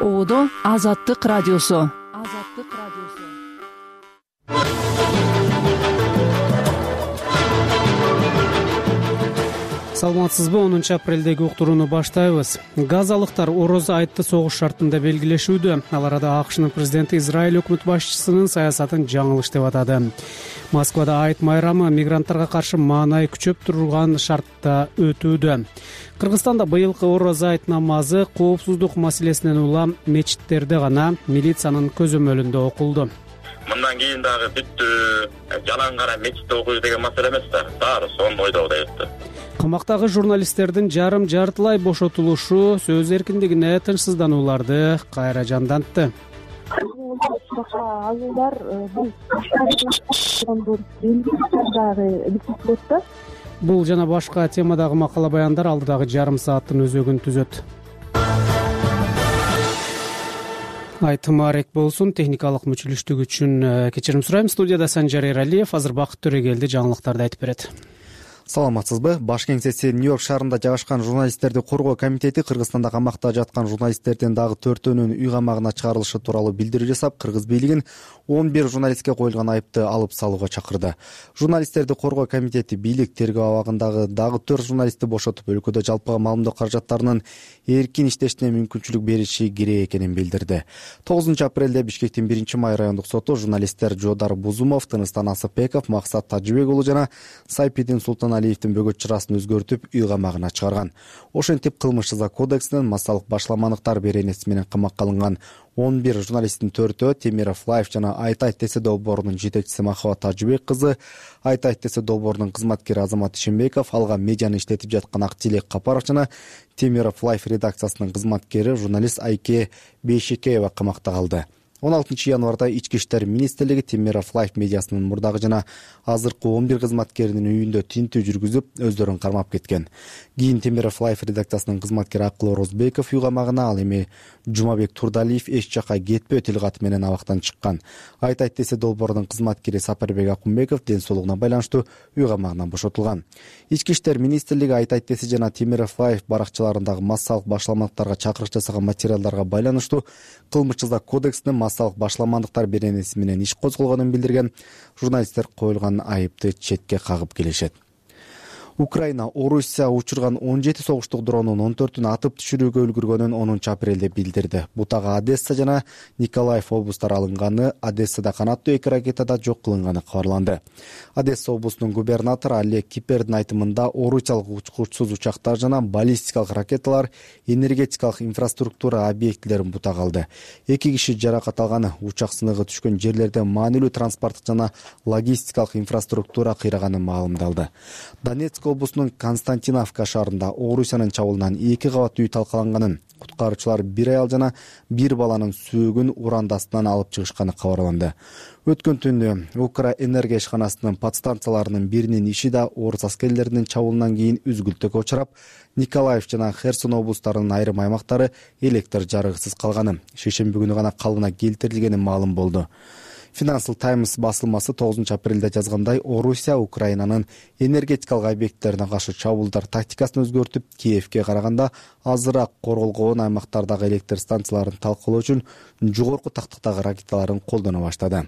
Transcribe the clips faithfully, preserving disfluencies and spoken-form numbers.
Оодо Азаттык радиосу. Азаттык радиосу. Саламатсызбы? онунчу апрелдеги уктурууну баштайбыз. Газалыктар Ороз айтты согуш шартында белгилешүүдө. Ал арада АКШнын президенти Израиль өкмөт башчысынын саясатын жаңылыш деп атады. Москвада айт майрамы мигранттарга каршы маанай күчөп турган шартта өтүүдө. Кыргызстанда быйылкы Ороз айт намазы коопсуздук маселесинен улам мечиттерде гана, милициянын көзөмөлүндө окулду. Мындан кийин дагы бүттү, жалаң гана мечитте окуйбуз деген маселе эмес да. Баары сонун ойдогудай өттү. Камактагы журналисттердин жарым жартылай бошотулушу сөз эркиндигине тынчсызданууларды кайра жандантты. Алуудар Бул жана башка темадагы макала баяндар алдыдагы жарым сааттын өзөгүн түзөт. Айтым арек болсун. Техникалык мүчүлүштүк үчүн кечирим сурайм. Студияда Санжар Эралиев. Азыр Бакыт Төрөгелди жаңылыктарды айтып берет. Саламатсызбы? Баш кеңсеси Нью-Йорк шаарында жайгашкан журналисттерди коргоо комитети Кыргызстанда камакта жаткан журналисттердин дагы төртөөнүн үй камагына чыгарылышы тууралуу билдирүү жасап, кыргыз бийлигин он бир журналистке коюлган айыпты алып салууга чакырды. Журналисттерди коргоо комитети бийлик тергөө абагындагы дагы төрт журналистти бошотуп, өлкөдө жалпыга маалымдоо каражаттарынын эркин иштешине мүмкүнчүлүк бериши керек экенин билдирди. тогузунчу апрелде Бишкектин биринчи май райондук соту журналисттер Жодар Бузумов, Тыныстан Асыпбеков, Максат Тажыбек уулу жана Сайпидин Султан Алиевдин бөгөт чырасын өзгөртүп, үй камагына чыгарган. Ошентип кылмыш жаза кодексинин массалык башламандыктар беренеси менен камакка алынган он бир журналисттин төртөө Темиров Лайф жана Айт Айт десе долбоорунун жетекчиси Махабат Тажыбек кызы, Айт Айт десе долбоорунун кызматкери Азамат Ишенбеков, алга медианы иштетип жаткан Актилек Капаров жана Темиров Лайф редакциясынын кызматкери журналист Айке Бейшекеева камакта калды. он алтынчы январда Ички иштер министрлиги Темиров Лайф медиасынын мурдагы жана азыркы он бир кызматкеринин үйүндө тинтүү жүргүзүп, өздөрүн кармап кеткен. Кийин Темиров Лайф редакциясынын кызматкери Акыл Орозбеков үй камагына, ал эми Жумабек Турдалиев эч жакка кетпөө тил каты менен абактан чыккан. Айт Айт десе долбоорунун кызматкери Сапарбек Акунбеков ден соолугуна байланыштуу үй камагынан бошотулган. Ички иштер министрлиги Айт Айт десе жана Темиров Лайф баракчаларындагы массалык башламандыктарга чакырык жасаган материалдарга байланыштуу кылмыш жаза кодексинин массалык башламандыктар беренеси менен иш козголгонун билдирген. Журналисттер коюлган айыпты четке кагып келишет. Украина Орусия учурган он жети согуштук дронун он төртүн атып түшүрүүгө үлгүргөнүн онунчу апрелде билдирди. Бутага Одесса жана Николаев облустары алынганы, Одессада канаттуу эки ракетада жок кылынганы кабарланды. Одесса облусунун губернатору Олег Кипердин айтымында орусиялык учкучсуз учактар жана баллистикалык ракеталар энергетикалык инфраструктура объектилерин бутага алды. Эки киши жаракат алган. Учак сыныгы түшкөн жерлерде маанилүү транспорттук жана логистикалык инфраструктура кыйраганы маалымдалды. Донецк облусунун Константиновка шаарында Орусиянын чабуулунан эки кабаттуу үй талкаланганын, куткаруучулар бир аял жана бир баланын сөөгүн уран астынан алып чыгышканы кабарланды. Өткөн түнү Укра энергия ишканасынын подстанцияларынын биринин иши да орус аскерлеринин чабуулунан кийин үзгүлтүккө учурап, Николаев жана Херсон облустарынын айрым аймактары электр жарыгысыз калганы, шейшемби күнү гана калыбына келтирилгени маалым болду. Financial Times басылмасы тогузунчу апрелде жазгандай, Орусия Украинанын энергетикалык объекттерине каршы чабуулдар тактикасын өзгөртүп, Киевке караганда азыраак корголгон аймактардагы электр станцияларын талкалоо үчүн жогорку тактыктагы ракеталарын колдоно баштады.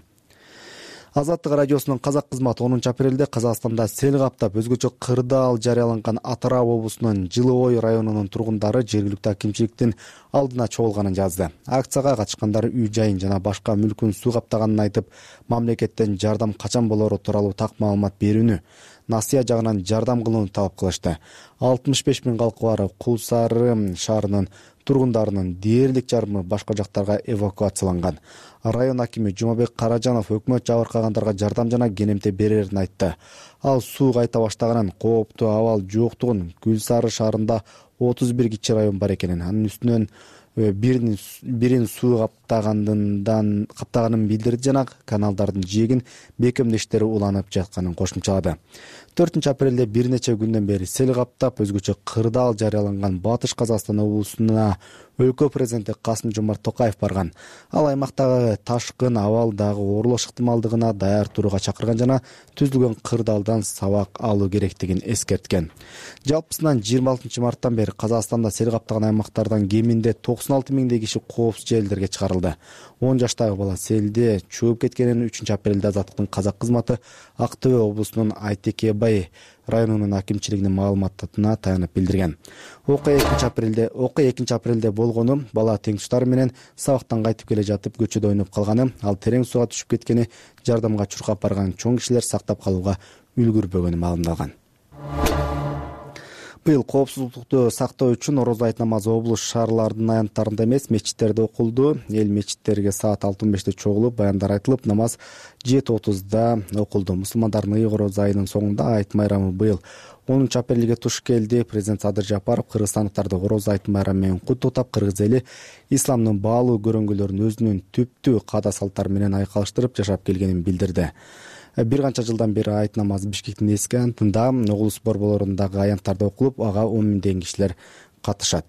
Азаттык радиосунун казак кызматы онунчу апрелде Казакстанда сел каптап, өзгөчө кырдаал жарыяланган Атырау облусунун Жылыой районунун тургундары жергиликтүү акимчиликтин алдына чогулганын жазды. Акцияга катышкандар үй жайын жана башка мүлкүн суу каптаганын айтып, мамлекеттен жардам качан болору тууралуу так маалымат берүүнү, Насыя жагынан жардам кылууну талап кылышты. алтымыш беш миң калкы бар Кул Сары шаарынын тургундарынын дээрлик жарымы башка жактарга эвакуацияланган. Район акими Жумабек Каражанов өкмөт жабыркагандарга жардам жана кенемте берерин айтты. Ал суу кайта баштаганын, кооптуу абал жоктугун, Кул Сары шаарында отуз бир кичи район бар экенин, анын үстүнөн бирин бирин суу каптагандан каптаганын билдирди жана каналдардын жээгин бекемдөө иштери уланып жатканын кошумчалады. төртүнчү апрелде бир нече күндөн бери сел каптап, өзгөчө кырдаал жарыяланган Батыш Казакстан облусуна өлкө президенти Касым Жомарт Токаев барган. Ал аймактагы ташкын, абал дагы оорулош ыктымалдыгына даяр турууга чакырган жана түзүлгөн кырдаалдан сабак алуу керектигин эскерткен. Жалпысынан жыйырма алтынчы марттан бери Казакстанда сел каптаган аймактардан кеминде токсон алты миңдей киши коопсуз жерлерге чыгарылды. он жаштагы бала селде чөгүп кеткенин үчүнчү апрелде Азаттыктын казак кызматы Ак Төө облусунун Айтекебай районунун акимчилигинин маалыматына таянып билдирген. Окуя экинчи апрелде окуя экинчи апрелде болгону, бала теңтуштары менен сабактан кайтып келе жатып көчөдө ойноп калганы, ал терең суга түшүп кеткени, жардамга чуркап барган чоң кишилер сактап калууга үлгүрбөгөнү маалымдалган. Быйыл коопсуздукту сактоо үчүн орозо айт намазы облус шаарлардын аянттарында эмес, мечиттерде окулду. Эл мечиттерге саат алты он беште чогулуп, баяндар айтылып, намаз жети отузда окулду. Мусулмандардын ыйык орозо айынын соңунда айт майрамы быйыл онунчу апрелге туш келди. Президент Садыр Жапаров кыргызстандыктарды орозо айт майрамы менен куттуктап, кыргыз эли исламдын баалуу көрөңгүлөрүн өзүнүн түптүү каада салттары менен айкалыштырып жашап келгенин билдирди. Бир канча жылдан бери айт намазы Бишкектин эски аянтында облус борборлорундагы аянттарда окулуп, ага он миңдеген кишилер катышат.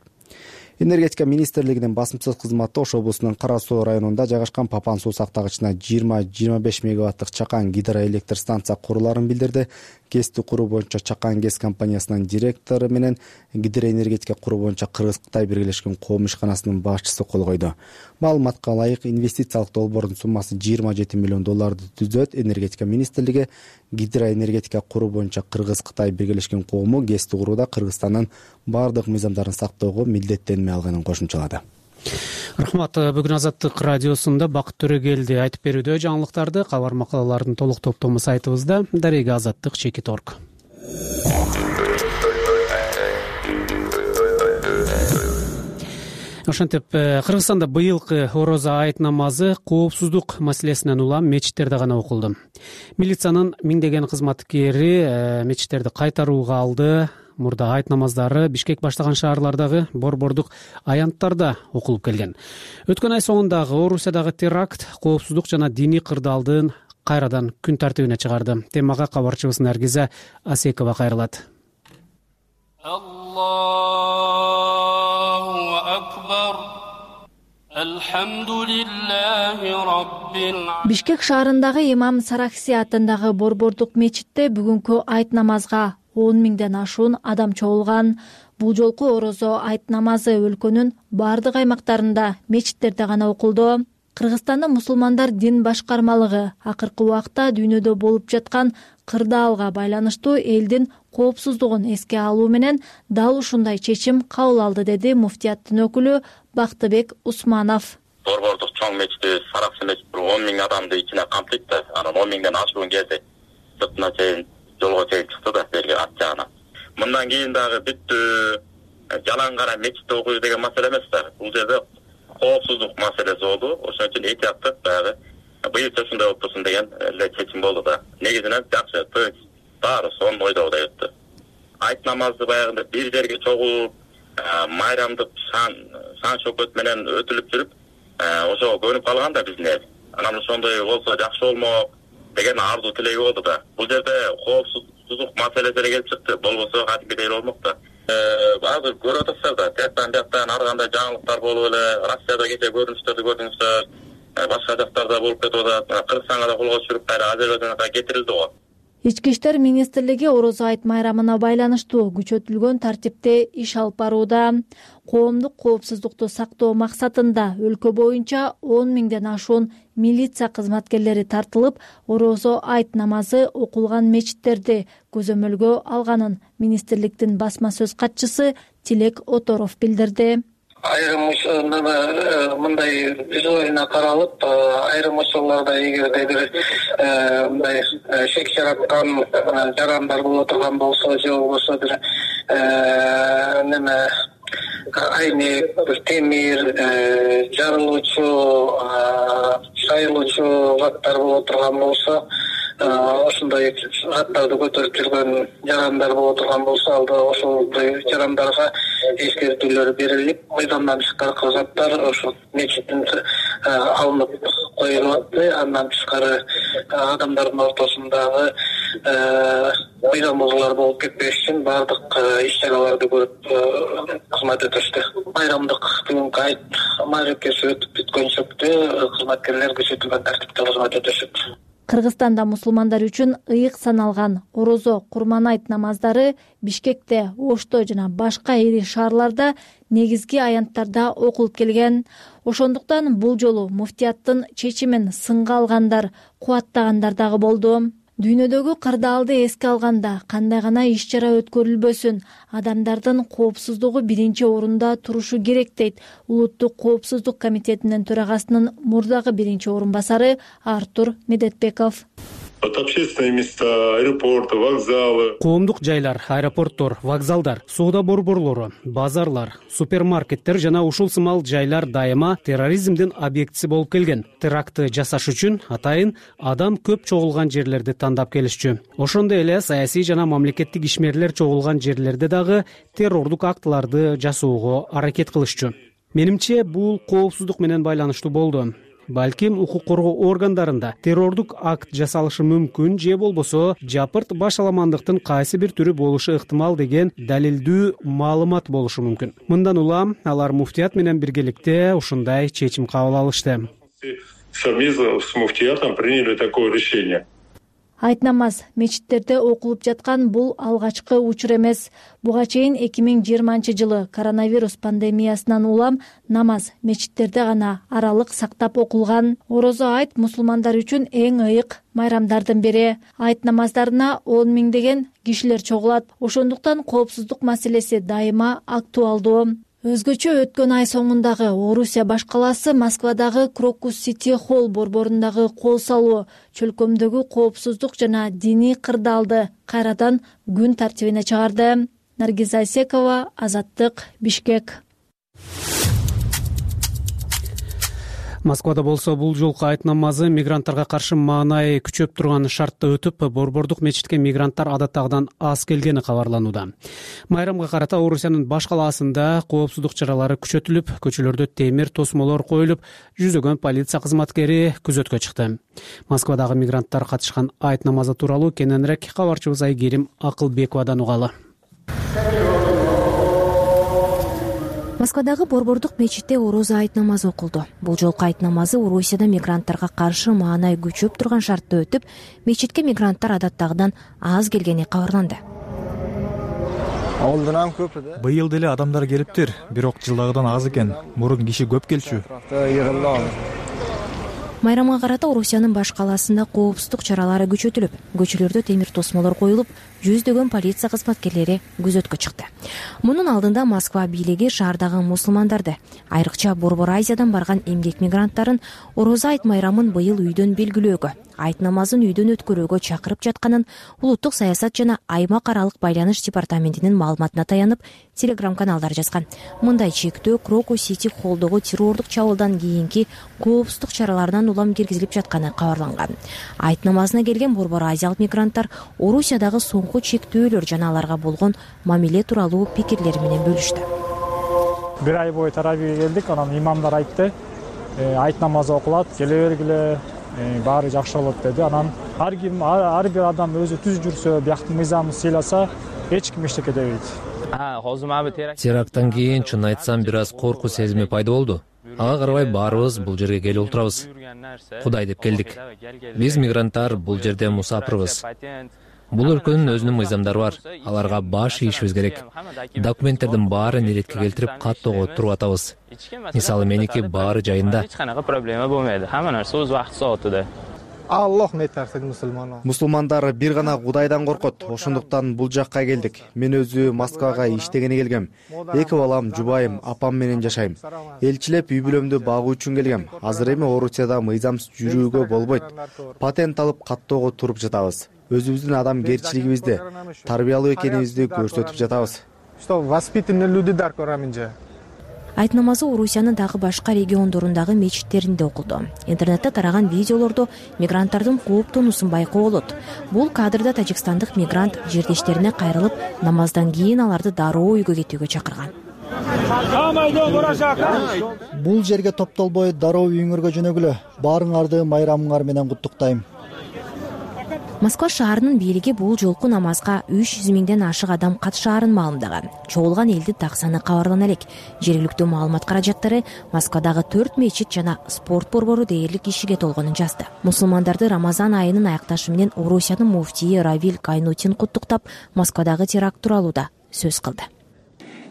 Энергетика министрлигинин басымсыз кызматы Ош облусунун Кара Суу районунда жайгашкан Папан суу сактагычына жыйырма жыйырма беш мегаваттык Чакан гидроэлектр станция куруларын билдирди. ГЭСти куруу боюнча Чакан ГЭС компаниясынын директору менен гидроэнергетика куруу боюнча Кыргыз-Кытай биргелешкен коом ишканасынын башчысы кол койду. Маалыматка ылайык, инвестициялык долбоордун суммасы жыйырма жети миллион долларды түзөт. Энергетика министрлиги гидроэнергетика куруу боюнча Кыргыз-Кытай биргелешкен коому ГЭСти курууда Кыргызстандын бардык мыйзамдарын сактоого милдеттенме алганын кошумчалады. Рахмат. Бүгүн Азаттык радиосунда Бакыт Төрөгелди айтып берүүдө. Жаңылыктарды, кабар макалалардын толук топтому сайтыбызда дареги азаттык чекит точка орг. Ошентип, Кыргызстанда быйылкы орозо айт намазы коопсуздук маселесинен улам мечиттерде гана окулду. Милициянын миңдеген кызматкери мечиттерди кайтарууга алды. Мурда айт намаздары Бишкек баштаган шаарлардагы борбордук аянттарда окулуп келген. Өткөн ай соңундагы Орусиядагы теракт коопсуздук жана диний кырдаалдын кайрадан күн тартибине чыгарды. Темага кабарчыбыз Наргиза Асекова кайрылат. Аллаху акбар. Алхамдулиллахи раббил. Бишкек шаарындагы Имам Саракси атындагы борбордук мечитте бүгүнкү айт намазга он миңден ашуун адам чогулган. Бул жолку орозо айт намазы өлкөнүн бардык аймактарында мечиттерде гана окулду. Кыргызстандын мусулмандар дин башкармалыгы акыркы убакта дүйнөдө болуп жаткан кырдаалга байланыштуу элдин коопсуздугун эске алуу менен дал ушундай чечим кабыл алды, деди муфтияттын өкүлү Бактыбек Усманов. Борбордук чоң мечити Сараксы мечити он миң адамды ичине камтыйт да, анан он миңден ашуун келди. Сыртына чейин жолго чейин чыкты да берген ат жагына. Мындан кийин дагы бүттү жалаң гана мечитте окуйбуз деген маселе эмес да. Бул жерде коопсуздук маселеси болду. Ошон үчүн этияттык дагы быйылча ушундай болуп турсун деген эле чечим болду да. Негизинен жакшы, баары сонун ойдогудай өттү. Айт намазды баягында бир жерге чогулуп, майрамдык шан шан шөкөт менен өтүлүп жүрүп, ошого көнүп калган да биздин эл. Анан ошондой болсо жакшы болмок деген ардуу тилеги болду да. Бул жерде коопсуздук маселеси эле келип чыкты. Болбосо кадимгидей болмок да. Азыр көрүп атасыздар да, тияктан бияктан ар кандай жаңылыктар болуп эле, Россияда кече көрүнүштөрдү көрдүңүздөр, башка жактарда болуп кетип атат. Кыргызстанга да колго түшүрүп кайра Азербайжанга кетирилди го. Ички иштер министрлиги орозо айт майрамына байланыштуу күчөтүлгөн тартипте иш алып барууда. Коомдук коопсуздукту сактоо максатында өлкө боюнча он миңден ашуун милиция кызматкерлери тартылып, орозо айт намазы окулган мечиттерди көзөмөлгө алганын министрликтин басма сөз катчысы Тилек Оторов билдирди. Айрым мындай визуально каралып, айрым учурларда эгерде бир мындай шек жараткан жарандар боло турган болсо, же болбосо бир неме айнек, бир темир, жарылуучу, шайылуучу заттар боло турган болсо, ошондой заттарды көтөрүп жүргөн жарандар боло турган болсо, алда ошондой жарандарга эскертүүлөр берилип, мыйзамдан тышкары заттар ошо мечиттин алынып коюлат. Андан тышкары адамдардын ортосундагы мыйзам бузуулар болуп кетпеш үчүн баардык иш чараларды көрүп кызмат этишти. Майрамдык бүгүнкү айт маарекеси өтүп бүткөнчөктө кызматкерлер күчөтүлгөн тартипте кызмат өтөшөт. Кыргызстанда мусулмандар үчүн ыйык саналган орозо, курман айт намаздары Бишкекте, Ошто жана башка ири шаарларда негизги аянттарда окулуп келген. Ошондуктан бул жолу муфтияттын чечимин сынга алгандар, кубаттагандар дагы болду. Дүйнөдөгү кырдаалды эске алганда кандай гана иш-чара өткөрүлбөсүн, адамдардын коопсуздугу биринчи орунда турушу керек дейт Улуттук коопсуздук комитетинин төрагасынын мурдагы биринчи орун басары Артур Медетбеков. От общественные места, аэропорты, вокзалы. Коомдук жайлар, аэропорттор, вокзалдар, соода борборлору, базарлар, супермаркеттер жана ушул сымал жайлар дайыма терроризмдин объектиси болуп келген. Терактты жасаш үчүн атайын адам көп чогулган жерлерди тандап келишчү. Ошондой эле саясий жана мамлекеттик ишмерлер чогулган жерлерде дагы террордук актыларды жасоого аракет кылышчу. Менимче бул коопсуздук менен байланыштуу болду. Балким укук коргоо органдарында террордук акт жасалышы мүмкүн же болбосо жапырт башаламандыктын кайсы бир түрү болушу ыктымал деген далилдүү маалымат болушу мүмкүн. Мындан улам алар муфтият менен биргеликте ушундай чечим кабыл алышты. Совместно с муфтиятом приняли такое решение. Айт намаз мечиттерде окулуп жаткан бул алгачкы учур эмес. Буга чейин эки миң жыйырманчы жылы коронавирус пандемиясынан улам намаз мечиттерде гана аралык сактап окулган. Орозо айт мусулмандар үчүн эң ыйык майрамдардын бири. Айт намаздарына он миңдеген кишилер чогулат. Ошондуктан коопсуздук маселеси дайыма актуалдуу. Өзгөчө өткөн ай соңундагы Орусия баш калаасы Москвадагы Крокус Сити Холл борборундагы кол салуу чөлкөмдөгү коопсуздук жана диний кырдаалды кайрадан күн тартибине чыгарды. Наргиз Айсекова, Азаттык, Бишкек. Москвада болсо бул жолку айт намазы мигранттарга каршы маанай күчөп турган шартты өтүп, борбордук мечитке мигранттар адаттагыдан аз келгени кабарланууда. Майрамга карата Орусиянын баш калаасында коопсуздук чаралары күчөтүлүп, көчөлөрдө темир тосмолор коюлуп, жүзөгөн полиция кызматкери күзөткө чыкты. Москвадагы мигранттар катышкан айт намазы тууралуу кененирээк кабарчыбыз Айгерим Акылбековадан угалы. Москвадагы борбордук мечитте орозо айт намазы окулду. Бул жолку айт намазы Орусияда мигранттарга каршы маанай күчөп турган шартты өтүп, мечитке мигранттар адаттагыдан аз келгени кабарланды. Быйыл деле адамдар келиптир, бирок жылдагыдан аз экен. Мурун киши көп келчү. Майрамга карата Орусиянын баш калаасында коопсуздук чаралары күчөтүлүп, көчөлөрдө темир тосмолор коюлуп, жүздөгөн полиция кызматкерлери күзөткө чыкты. Мунун алдында Москва бийлиги шаардагы мусулмандарды, айрыкча Борбор Азиядан барган эмгек мигранттарын орозо айт майрамын быйыл үйдөн белгилөөгө, айт намазын үйдөн өткөрүүгө чакырып жатканын Улуттук саясат жана аймак аралык байланыш департаментинин маалыматына таянып, телеграм-каналдар жазган. Мындай чектөө Крокус Сити Холлдогу террордук чабуулдан кийинки коопсуздук чараларынан улам киргизилип жатканы кабарланган. Айт намазына келген Борбор Азиялык мигранттар Орусиядагы соңку чектөөлөр жана аларга болгон мамиле тууралуу пикирлери менен бөлүштү. Бир ай бою таравиге келдик, анан имамдар айтты, айт намазы окулат, келе бергиле, баары жакшы болот деди. Анан ар ким, ар бир адам өзү түз жүрсө, бияктын мыйзамын сыйласа, эч ким эчтеке дебейт. Теракттан кийин чын айтсам бир аз коркуу сезими пайда болду. Ага карабай баарыбыз бул жерге келип олтурабыз. Кудай деп келдик. Биз мигранттар бул жерде мусапырбыз. Бул өлкөнүн өзүнүн мыйзамдары бар. Аларга баш ийишибиз керек. Документтердин баарын иретке келтирип каттоого туруп атабыз. Мисалы меники баары жайында. Эч канакы проблема болмойт. Хамма нерсе өз убакыт соатыда. Аллах метарсыз мусулман. Мусулмандар бир гана Кудайдан коркот. Ошондуктан бул жакка келдик. Мен өзү Москвага иштегени келгем. Эки балам, жубайым, апам менен жашайм. Элчилеп үй бүлөмдү багуу үчүн келгем. Азыр эми Орусияда мыйзамсыз жүрүүгө болбойт. Патент алып каттоого туруп жатабыз. Өзүбүздүн адамгерчилигибизди, тарбиялуу экенибизди көрсөтүп жатабыз. Что воспитанные люди дар кораминже. Айт намазы Орусиянын дагы башка региондорундагы мечиттеринде окулду. Интернетте тараган видеолордо мигранттардын кооптонуусун байкоо болот. Бул кадрда тажикстандык мигрант жердештерине кайрылып, намаздан кийин аларды дароо үйгө кетүүгө чакырган. Бул жерге топтолбой дароо үйүңөргө жөнөгүлө. Баарыңарды майрамыңар менен куттуктайм. Москва шаарынын бийлиги бул жолку намазга үч жүз миңден ашык адам катышаарын маалымдаган. Чогулган элдин так саны кабарлана элек. Жергиликтүү маалымат каражаттары Москвадагы төрт мечит жана спорт борбору дээрлик кишиге толгонун жазды. Мусулмандарды Рамазан айынын аякташы менен Орусиянын муфтийи Равиль Кайнутин куттуктап, Москвадагы теракт тууралуу да сөз кылды.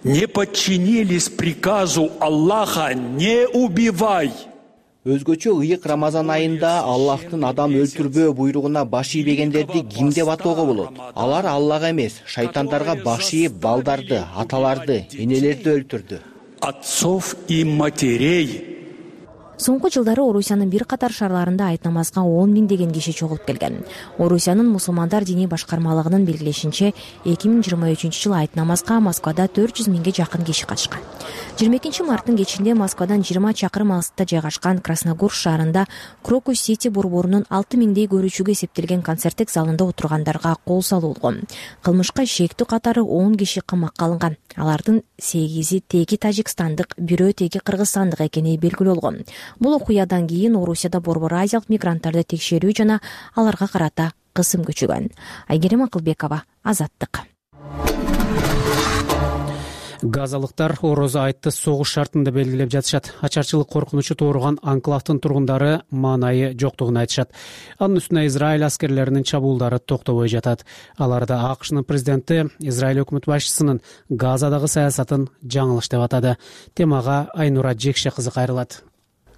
Не подчинились приказу Аллаха не убивай. Өзгөчө ыйык Рамазан айында Аллахтын адам өлтүрбөө буйругуна баш ийбегендерди ким деп атоого болот? Алар Аллах эмес, шайтандарга баш ийип балдарды, аталарды, энелерди өлтүрдү. Отцов и матерей. Соңку жылдары Орусиянын бир катар шаарларында айт намазга он миңдеген киши чогулуп келген. Орусиянын мусулмандар диний башкармалыгынын белгилешинче, эки миң жыйырма үчүнчү жылы айт намазга Москвада төрт жүз миңге жакын киши катышкан. жыйырма экинчи марттын кечинде Москвадан жыйырма чакырым алыста жайгашкан Красногорск шаарында Крокус Сити борборунун алты миңдей көрүүчүгө эсептелген концерттик залында отургандарга кол салуулган. Кылмышка шектүү катары он киши камакка алынган. Алардын сегизи теги тажикстандык, бирөө теги кыргызстандык экени белгилүү болгон. Бул окуядан кийин Орусияда борбор азиялык мигранттарды текшерүү жана аларга карата кысым күчөгөн. Айгерим Акылбекова, Азаттык. Газалыктар орозо айтты согуш шартында белгилеп жатышат. Ачарчылык коркунучу тууруган анклавдын тургундары маанайы жоктугун айтышат. Анын үстүнө Израиль аскерлеринин чабуулдары токтобой жатат. Аларда АКШнын президенти Израиль өкмөт башчысынын Газадагы саясатын жаңылыш деп атады. Темага Айнура Жекше кызы кайрылат.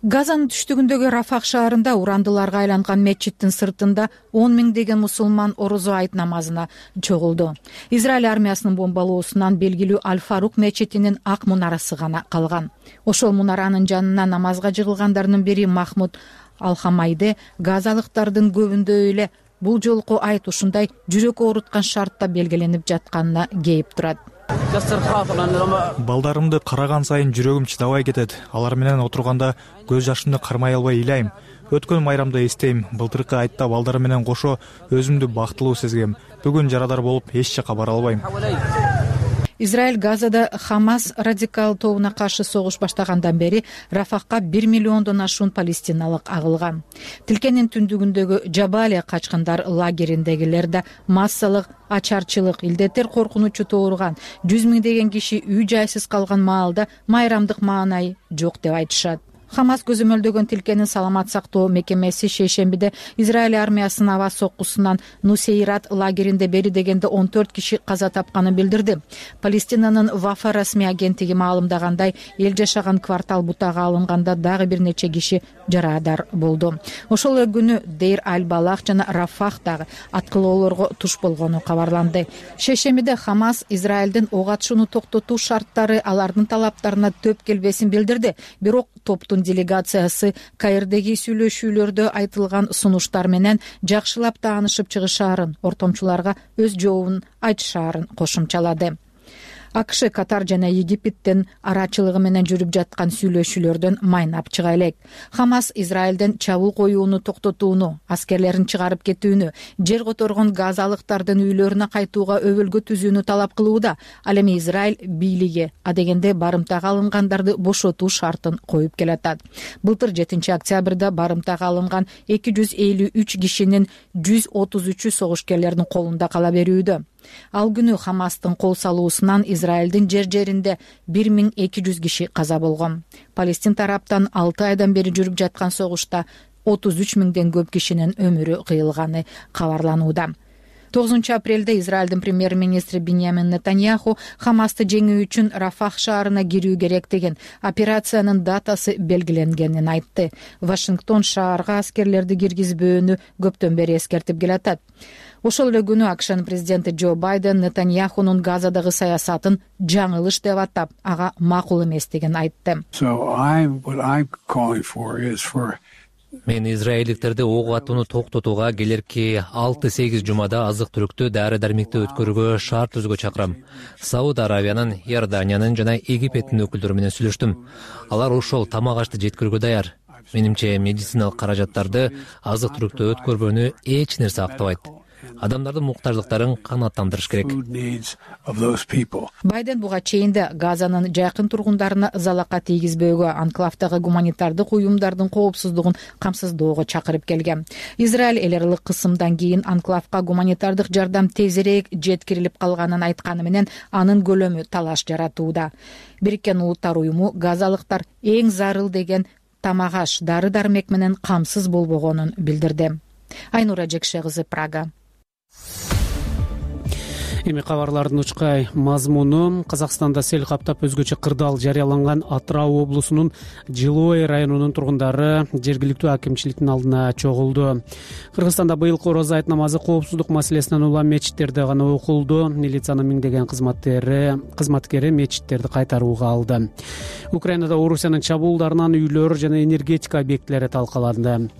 Газанын түштүгүндөгү Рафах шаарында урандыларга айланган мечиттин сыртында он миңдеген мусулман орозо айт намазына чогулду. Израиль армиясынын бомбалоосунан белгилүү Аль-Фарук мечитинин ак мунарасы гана калган. Ошол мунаранын жанына намазга жыгылгандардын бири Махмуд Алхамайде газалыктардын көбүндө эле бул жолку айт ушундай жүрөк ооруткан шартта белгиленип жатканына кейип турат. Балдарымды караган сайын жүрөгүм чыдабай кетет. Алар менен отурганда көз жашымды кармай албай ыйлайм. Өткөн майрамды эстейм. Былтыркы айтта балдар менен кошо өзүмдү бактылуу сезгем. Бүгүн жарадар болуп эч жака бара албайм. Израиль Газада Хамас радикал тобуна каршы согуш баштагандан бери Рафахка бир миллиондон ашуун палестиналык агылган. Тилкенин түндүгүндөгү Жабалия качкындар лагериндегилер да массалык ачарчылык, илдеттер коркунучу тууруган. жүз миңдеген киши үй жайсыз калган маалда майрамдык маанай жок деп айтышат. Хамас көзөмөлдөгөн Тилкенин саламат сактоо мекемеси шейшембиде Израиль армиясынын аба соккусунан Нусейрат лагеринде бери дегенде он төрт киши каза тапканын билдирди. Палестинанын Вафа расмий агенттиги маалымдагандай, эл жашаган квартал бутага алынганда дагы бир нече киши жарадар болду. Ошол эле күнү Дейр Аль-Балах жана Рафахтагы аткылоолорго туш болгону кабарланды. Шейшембиде Хамас Израилдин ок атышууну токтотуу шарттары алардын талаптарына төп келбесин билдирди. Бирок топтун делегациясы Каирдеги сүйлөшүүлөрдө айтылган сунуштар менен жакшылап таанышып чыгышаарын, ортомчуларга өз жообун айтышаарын кошумчалады. АКШ, Катар жана Египеттин арачылыгы менен жүрүп жаткан сүйлөшүүлөрдөн майнап чыга элек. Хамас Израилден чабуул коюуну токтотууну, аскерлерин чыгарып кетүүнү, жер которгон газалыктардын үйлөрүнө кайтууга өбөлгө түзүүнү талап кылууда. Ал эми Израиль бийлиги адегенде барымтага алынгандарды бошотуу шартын коюп келатат. Былтыр жетинчи октябрда барымтага алынган эки жүз элүү үч кишинин жүз отуз үчү согушкерлердин колунда кала берүүдө. Ал күнү Хамастын кол салуусунан Израилдин жер жеринде бир миң эки жүз киши каза болгон. Палестин тараптан алты айдан бери жүрүп жаткан согушта отуз үч миңден көп кишинин өмүрү кыйылганы кабарланууда. тогузунчу апрелде Израилдин премьер-министри Биньямин Нетаньяху Хамасты жеңүү үчүн Рафах шаарына кирүү керек деген операциянын датасы белгиленгенин айтты. Вашингтон шаарга аскерлерди киргизбөөнү көптөн бери эскертип келатат. Ошол эле күнү АКШнын президенти Джо Байден Нетаньяхунун Газадагы саясатын жаңылыш деп атап, ага макул эместигин айтты. Мен израилдиктерди ок атууну токтотууга келерки алты сегиз жумада азык-түлүктү, дары-дармекти өткөрүүгө шарт түзүүгө чакырам. Сауд Аравиянын, Иорданиянын жана Египеттин өкүлдөрү менен сүйлөштүм. Алар ошол тамак ашты жеткирүүгө даяр. Менимче медициналык каражаттарды, азык-түлүктү өткөрбөөнү эч нерсе актабайт. адамдардын муктаждыктарын канааттандырыш керек. Байден буга чейин да Газанын жакын тургундарына залака тийгизбөөгө, анклавдагы гуманитардык уюмдардын коопсуздугун камсыздоого чакырып келген. Израиль эл аралык кысымдан кийин анклавга гуманитардык жардам тезирээк жеткирилип калганын айтканы менен анын көлөмү талаш жаратууда. Бириккен Улуттар уюму газалыктар эң зарыл деген тамак-аш, дары-дармек менен камсыз болбогонун билдирди. Айнура Жекше кызы, Прага. Эми кабарлардын учкай мазмуну: Казакстанда сел каптап өзгөчө кырдаал жарыяланган Атырау облусунун Жылой районунун тургундары жергиликтүү акимчиликтин алдына чогулду. Кыргызстанда быйылкы орозо айт намазы коопсуздук маселесинен улам мечиттерде гана окулду. Милициянын миңдеген кызматкери кызматкери мечиттерди кайтарууга алды. Украинада Орусиянын чабуулдарынан үйлөр жана энергетика объектилери талкаланды.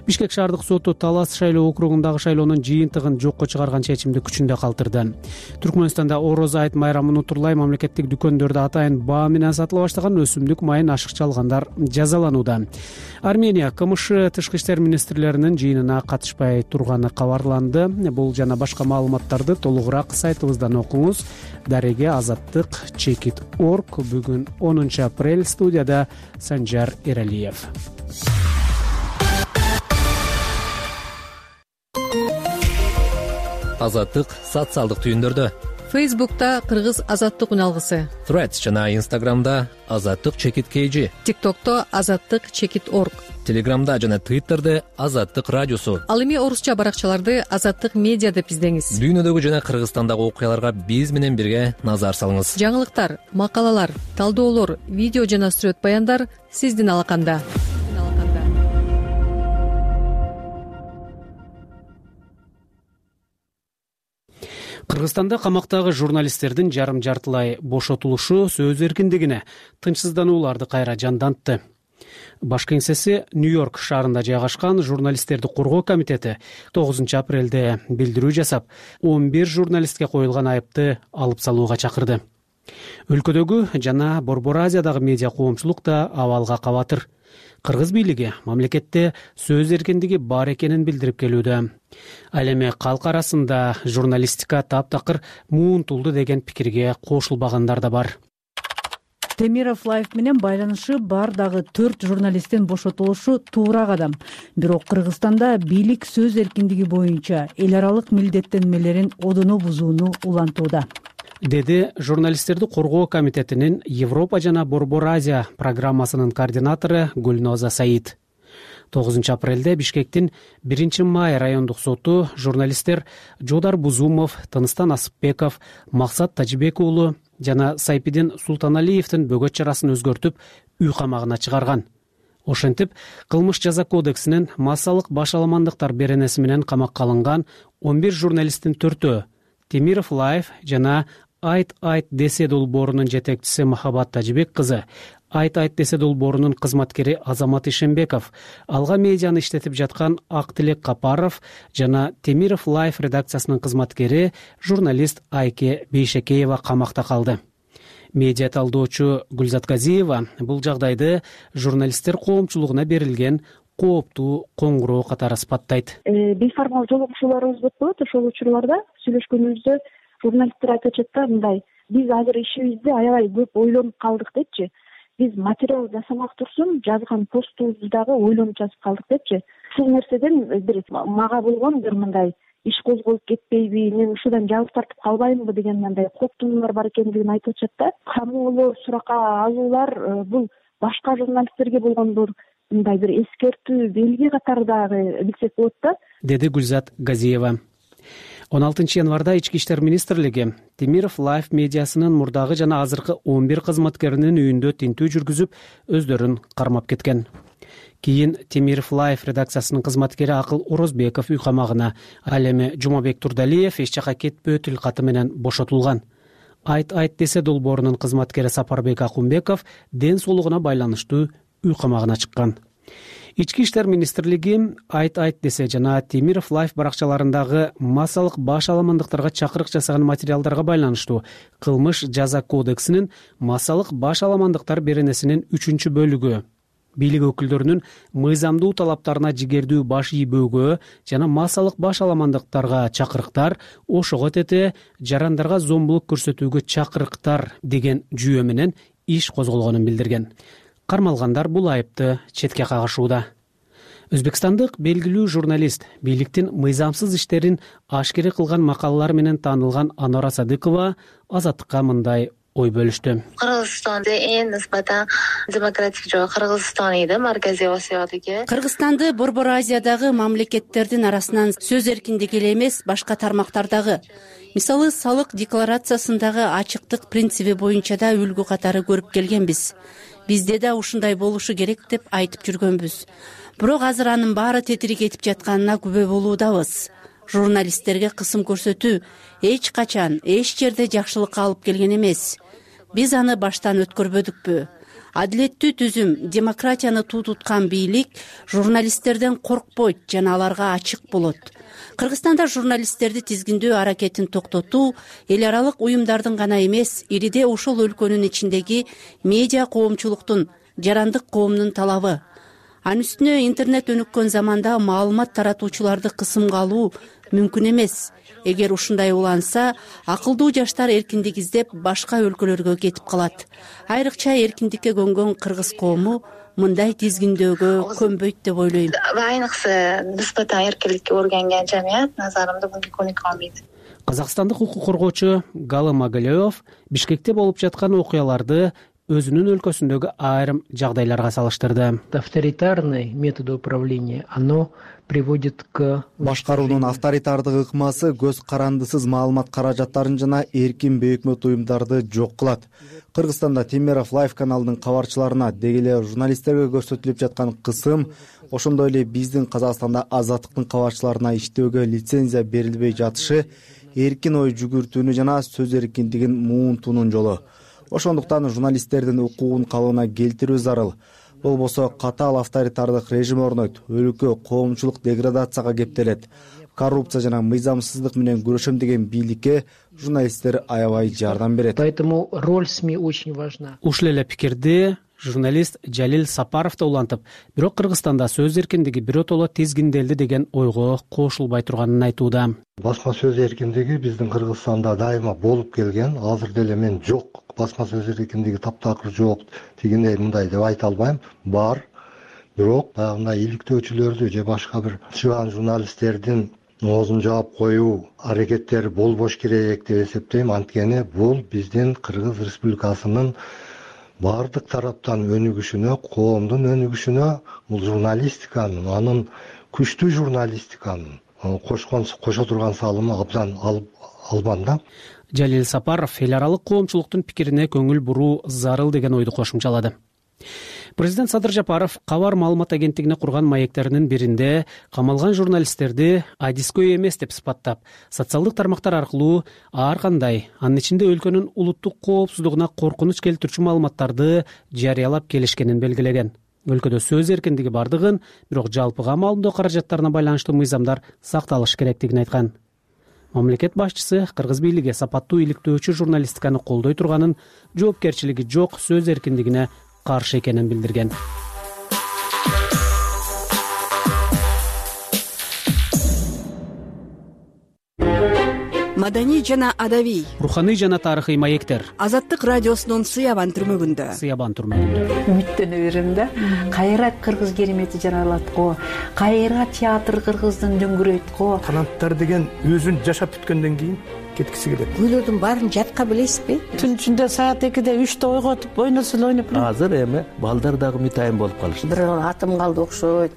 Бишкек шаардык соту Талас шайлоо округундагы шайлоонун жыйынтыгын жокко чыгарган чечимди күчүндө калтырды. Түркмөнстанда орозо айт майрамын утурлай мамлекеттик дүкөндөрдө атайын баа менен сатыла баштаган өсүмдүк майын ашыкча алгандар жазаланууда. Армения КМШ тышкы иштер министрлеринин жыйынына катышпай турганы кабарланды. Бул жана башка маалыматтарды толугураак сайтыбыздан окуңуз. Дареге Азаттык чекит точка орг. Бүгүн онунчу апрель. Студияда Санжар Эралиев. Азаттык социалдык түйүндөрдө. Фейсбукта Кыргыз азаттык үналгысы. Threads жана Инстаграмда Азаттык чекит kg. ТикТокто Азаттык чекит точка орг. Телеграмда жана Твиттерде Азаттык радиосу. Ал эми орусча баракчаларды Азаттык медиа деп издеңиз. Дүйнөдөгү жана Кыргызстандагы окуяларга биз менен бирге назар салыңыз. Жаңылыктар, макалалар, талдоолор, видео жана сүрөт баяндар сиздин алаканда. Кыргызстанда камактагы журналисттердин жарым жартылай бошотулушу сөз эркиндигине, тынчсызданууларды кайра жандантты. Баш кеңсеси Нью-Йорк шаарында жайгашкан журналисттерди коргоо комитети тогузунчу апрелде билдирүү жасап, он бир журналистке коюлган айыпты алып салууга чакырды. Өлкөдөгү жана Борбор Азиядагы медиа коомчулук да абалга кабатыр. Кыргыз бийлиги мамлекетте сөз эркиндиги бар экенин билдирип келүүдө. Ал эми калк арасында журналистика таптакыр муунтулду деген пикирге кошулбагандар да бар. Темиров Лайф менен байланышы бар дагы төрт журналисттин бошотулушу туура кадам. Бирок Кыргызстанда бийлик сөз эркиндиги боюнча эл аралык милдеттенмелерин одоно бузууну улантууда, деди журналисттерди коргоо комитетинин Европа жана Борбор Азия программасынын координатору Гүлноза Саид. тогузунчу апрелде Бишкектин биринчи май райондук соту журналисттер Жодар Бузумов, Тыныстан Асыпбеков, Максат Тажибек уулу жана Сайпидин Султаналиевдин бөгөт чарасын өзгөртүп үй камагына чыгарган. Ошентип, кылмыш жаза кодексинин массалык башаламандыктар беренеси менен камакка алынган он бир журналисттин төртөө Темиров Лайф жана Айт Айт десе долбоорунун жетекчиси Махабат Тажибек кызы, Айт Айт десе долбоорунун кызматкери Азамат Ишембеков, Алга медианы иштетип жаткан Актилек Капаров жана Темиров Лайф редакциясынын кызматкери журналист Айке Бейшекеева камакта калды. Медиа талдоочу Гүлзат Газиева бул жагдайды журналисттер коомчулугуна берилген кооптуу коңгуроо катары сыпаттайт. Бейформал жолугушууларыбыз болот, ошол учурларда сүйлөшкөнүбүздө журналисттер айтып атышат да, мындай: биз азыр ишибизди аябай көп ойлонуп калдык депчи. Биз материал жасамак турсун, жазган постубузду дагы ойлонуп жазып калдык депчи. Ушул нерседен бир мага болгон бир мындай иш козголуп кетпейби, мен ушудан жабык тартып калбаймынбы деген мындай кооптунуулар бар экендигин айтып атышат да. Камоолор, суракка алуулар бул башка журналисттерге болгон бир мындай бир эскертүү белги катары дагы билсек болот да, деди Гүлзат Газиева. он алтынчы январда Ички иштер министрлиги Темиров Лайф медиасынын мурдагы жана азыркы он бир кызматкеринин үйүндө тинтүү жүргүзүп, өздөрүн кармап кеткен. Кийин Темиров Лайф редакциясынын кызматкери Акыл Орозбеков үй камагына, ал эми Жумабек Турдалиев эч жака кетпөө тил каты менен бошотулган. Айт Айт десе долбоорунун кызматкери Сапарбек Акунбеков ден соолугуна байланыштуу үй камагына чыккан. Ички иштер министрлиги Айт Айт десе жана Темиров Лайф баракчаларындагы массалык башаламандыктарга чакырык жасаган материалдарга байланыштуу кылмыш жаза кодексинин массалык башаламандыктар беренесинин үчүнчү бөлүгү бийлик өкүлдөрүнүн мыйзамдуу талаптарына жигердүү баш ийбөөгө жана массалык баш аламандыктарга чакырыктар, ошого тете жарандарга зомбулук көрсөтүүгө чакырыктар деген жүйө менен иш козголгонун билдирген. Кармалгандар бул айыпты четке кагышууда. Өзбекстандык белгилүү журналист, бийликтин мыйзамсыз иштерин ашкере кылган макалалар менен таанылган Анора Садыкова Азаттыкка мындай ой бөлүштү. Кыргызстанда эң нисбатан демократик жок Кыргызстан иде, Марказий Осиядагы. Кыргызстанды Борбор Азиядагы мамлекеттердин арасынан сөз эркиндиги эле эмес, башка тармактардагы, мисалы салык декларациясындагы ачыктык принциби боюнча да үлгү катары көрүп келгенбиз. Бизде да ушундай болушу керек деп айтып жүргөнбүз. Бирок азыр анын баары тетири кетип жатканына күбө болуудабыз. Журналисттерге кысым көрсөтүү эч качан, эч жерде жакшылыкка алып келген эмес. Биз аны баштан өткөрбөдүкпү? Адилеттүү түзүм, демократияны туу туткан бийлик журналисттерден коркпойт жана аларга ачык болот. Кыргызстанда журналисттерди тизгиндөө аракетин токтотуу эл аралык уюмдардын гана эмес, ириде ошол өлкөнүн ичиндеги медиа коомчулуктун, жарандык коомдун талабы. Анын үстүнө интернет өнүккөн заманда маалымат таратуучуларды кысымга алуу мүмкүн эмес. Эгер ушундай уланса, акылдуу жаштар эркиндик издеп башка өлкөлөргө кетип калат. Айрыкча эркиндикке көнгөн кыргыз коому мындай тизгиндөөгө көнбөйт деп ойлойм. Айныкса нисбатан эркиндикке өргөнген жамият назарымда буга көнүк албайт. Казакстандык укук коргоочу Галы Магалеев Бишкекте болуп жаткан окуяларды өзүнүн өлкөсүндөгү айрым жагдайларга салыштырды. Авторитарный метод управления, оно приводит к башкаруунун авторитардык ыкмасы көз карандысыз маалымат каражаттарын жана эркин бейөкмөт уюмдарды жок кылат. Кыргызстанда Темиров Лайф каналынын кабарчыларына деги эле журналисттерге көрсөтүлүп жаткан кысым, ошондой эле биздин Казакстанда Азаттыктын кабарчыларына иштөөгө лицензия берилбей жатышы эркин ой жүгүртүүнү жана сөз эркиндигин муунтуунун жолу. Ошондуктан журналисттердин укугун калыбына келтирүү зарыл. Болбосо катаал авторитардык режим орнойт, өлкө коомчулук деградацияга кептелет. Коррупция жана мыйзамсыздык менен күрөшөм деген бийликке журналисттер аябай жардам берет. Поэтому роль СМИ очень важна. Ушул эле пикирди журналист Жалил Сапаров да улантып, бирок Кыргызстанда сөз эркиндиги биротоло тизгинделди деген ойго кошулбай турганын айтууда. Басма сөз эркиндиги биздин Кыргызстанда дайыма болуп келген, азыр деле мен жок, басма сөз эркиндиги таптакыр жок, дегендей мындай деп айта албайм. Бар, бирок дагы иликтөөчүлөрдү же башка бир чыган журналисттердин оозун жаап коюу аракеттери болбош керек деп эсептейм. Анткени бул биздин Кыргыз Республикасынын бардык тараптан өнүгүшүнө, коомдун өнүгүшүнө, бул журналистиканын, анын күчтүү журналистиканын кошкон кошо турган салымы абдан албанда. Жалил Сапаров эл аралык коомчулуктун пикирине көңүл буруу зарыл деген ойду кошумчалады. Президент Садыр Жапаров кабар маалымат агенттигине курган маектеринин биринде камалган журналисттерди адискөй эмес деп сыпаттап, социалдык тармактар аркылуу ар кандай, анын ичинде өлкөнүн улуттук коопсуздугуна коркунуч келтирчү маалыматтарды жарыялап келишкенин белгилеген. Өлкөдө сөз эркиндиги бардыгын, бирок жалпыга маалымдоо каражаттарына байланыштуу мыйзамдар сакталыш керектигин айткан. Мамлекет башчысы кыргыз бийлиги сапаттуу иликтөөчү журналистиканы колдой турганын, жоопкерчилиги жок сөз эркиндигине каршы экенин билдирген. Маданий жана адабий, руханий жана тарыхый маектер. Азаттык радиосунун Сыябан түрмөгүндө. Сыябан түрмөгүндө. Үмүттөнө берем да. Кайра кыргыз керемети жаралат го. Кайра театр кыргыздын дөңгүрөйт го. Канаттар деген өзүн жашап бүткөндөн кийин кеткиси келет. Күйлөрдүн баарын жатка билесизби? Түн ичинде саат экиде үчтө ойготуп, ойносун ойноп. Азыр эми балдар дагы мытайын болуп калышты. Бир атым калды окшойт.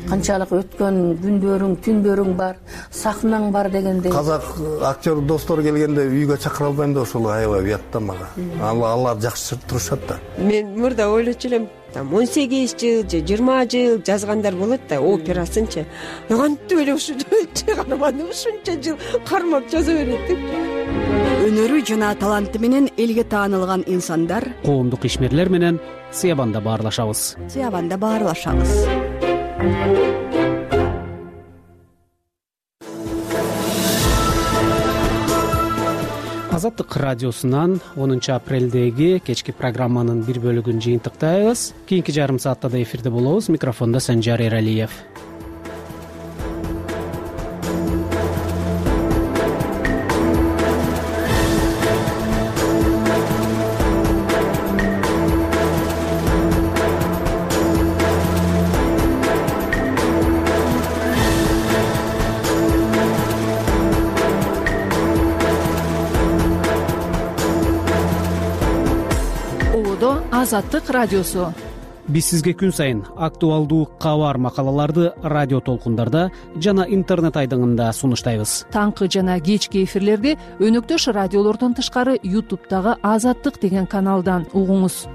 Канчалык өткөн күндөрүң, түндөрүң бар, сахнаң бар дегендей. Казак актер достор келгенде үйгө чакыра албайм да, ошол аябай уят да мага. Алар жакшы турушат да. Мен мурда ойлочу элем, он сегиз жыл же жыйырма жыл жазгандар болот да, операсынчы. Кантип эле ушунча каарманды ушунча жыл кармап жаза берет деп. Өнөрү жана таланты менен элге таанылган инсандар, коомдук ишмерлер менен Сыябанда баарлашабыз. Сыябанда баарлашабыз. азаттык радиосунан онунчу апрелдеги кечки программанын бир бөлүгүн жыйынтыктайбыз. Кийинки жарым саатта да эфирде болобуз. Микрофондо Санжар Эралиев. Азаттык радиосу. Биз сизге күн сайын актуалдуу кабар макалаларды радио толкундарда жана интернет айдыңында сунуштайбыз. Таңкы жана кечки эфирлерди өнөктөш радиолордон тышкары ютубтагы Азаттык деген каналдан угуңуз.